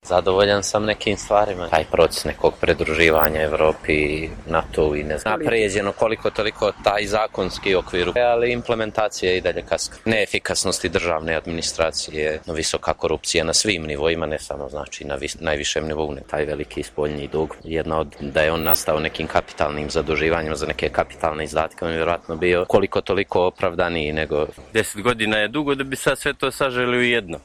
Zadovoljan sam nekim stvarima. Taj proces nekog pridruživanja Evropi, NATO i ne znam. Napređeno koliko toliko taj zakonski okvir, ali implementacija je i dalje kaska. Neefikasnosti državne administracije, visoka korupcija na svim nivoima, ne samo znači na najvišem nivou, ne taj veliki spoljni dug. Jedna od da je on nastao nekim kapitalnim zaduživanjem za neke kapitalne izdatke, on je vjerojatno bio koliko toliko opravdaniji nego... 10 godina je dugo da bi sad sve to saželi u jedno.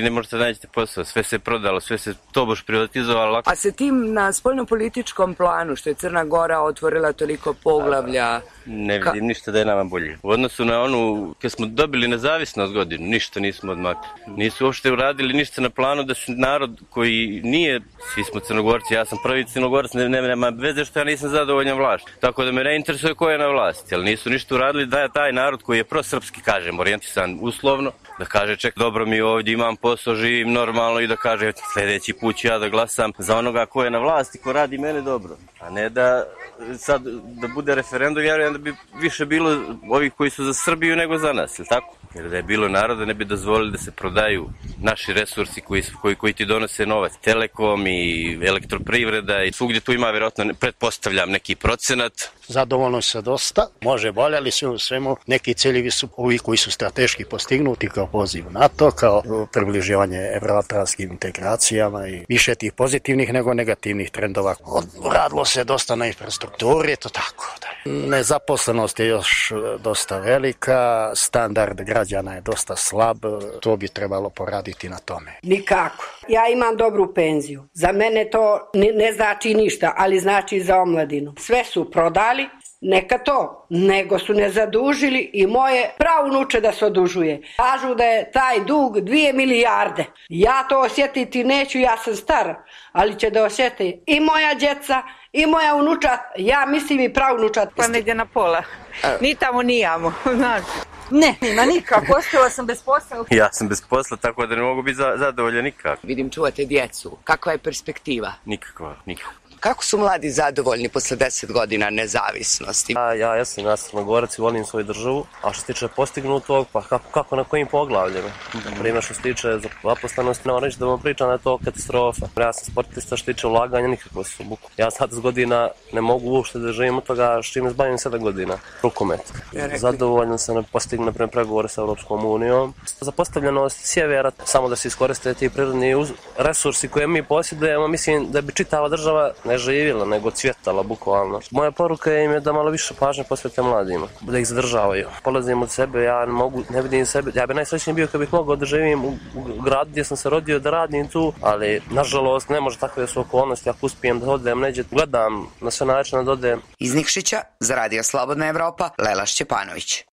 Ne možete naći posao, sve se prodalo, sve se tobož privatizovalo. A se tim na spoljnopolitičkom planu, što je Crna Gora otvorila toliko poglavlja... Ne vidim ništa da je nama bolje. U odnosu na onu, kad smo dobili nezavisnost godinu, ništa nismo odmakli. Nisu uopšte uradili ništa na planu da se narod koji nije, svi smo Crnogorci, ja sam prvi Crnogorac, nema veze što ja nisam zadovoljan vlašću. Tako da me ne interesuje ko je na vlasti, ali nisu ništa uradili da je taj narod koji je prosrpski, kažem, orijentisan uslovno, da kaže ček, dobro mi ovdje imam posao, živim normalno i da kaže sljedeći put ću ja da glasam za onoga ko je na vlasti, ko radi mene dobro. A ne da sad da bude referendum, vjerujem da bi više bilo ovih koji su za Srbiju nego za nas, ili tako? Jer da je bilo naroda ne bi dozvolili da se prodaju naši resursi koji ti donose novac. Telekom i elektroprivreda i svugdje tu ima vjerojatno, pretpostavljam, neki procenat. Zadovoljno se dosta, može bolje, ali sve u svemu neki ciljevi su ovi koji su strateški postignuti kao poziv NATO, kao približivanje evroatlantskim integracijama i više tih pozitivnih nego negativnih trendova. Radilo se dosta na infrastrukturi, to tako. Nezaposlenost je još dosta velika, standard građana je dosta slab, to bi trebalo poraditi na tome. Nikako. Ja imam dobru penziju. Za mene to ne znači ništa, ali znači za omladinu. Sve su prodali, neka to, nego su ne zadužili i moje praunuče da se odužuje. Kažu da je taj dug 2 milijarde. Ja to osjetiti neću, ja sam stara, ali će da osjeti i moja djeca, i moja unučat, ja mislim i praunučat. Pa negdje na pola. Ni tamo nijamo, znaš. Ne, nima nikako, ostala sam bez posla. Ja sam bez posla, tako da ne mogu biti zadovoljan nikako. Vidim, čuvate djecu. Kakva je perspektiva? Nikakva. Kako su mladi zadovoljni posle 10 godina nezavisnosti? Ja sam Crnogorac i volim svoju državu, a što se tiče postignutog, pa kako na kojim poglavljima? Primjer što se tiče zaposlenosti, ne moram reći da vam pričam da je to katastrofa. Ja sam sportista, što se tiče ulaganja, nikakvo su buku. Ja sad 10 godina ne mogu uopšte da živim od toga što im zbavim 7 godina. Rukomet. Zadovoljan sam da postignu na pregovore sa Europskom unijom. Zapostavljenost sjevera, samo da se iskoriste ti prirodni resursi koje mi posjedujemo, mislim da bi čitava država ne živjela, nego cvjetala, bukvalno. Moja poruka im je da malo više pažnje posvete mladima, da ih zadržavaju. Polazim od sebe, ja ne vidim sebe, ja bi najsrećniji bio kad bih mogao da živim u gradu gdje sam se rodio, da radim tu, ali nažalost ne može takve su okolnosti, ako uspijem da odem neđe, gledam na sve načine da odem. Iz Nikšića, za Radio Slobodna Evropa, Lela Šćepanović.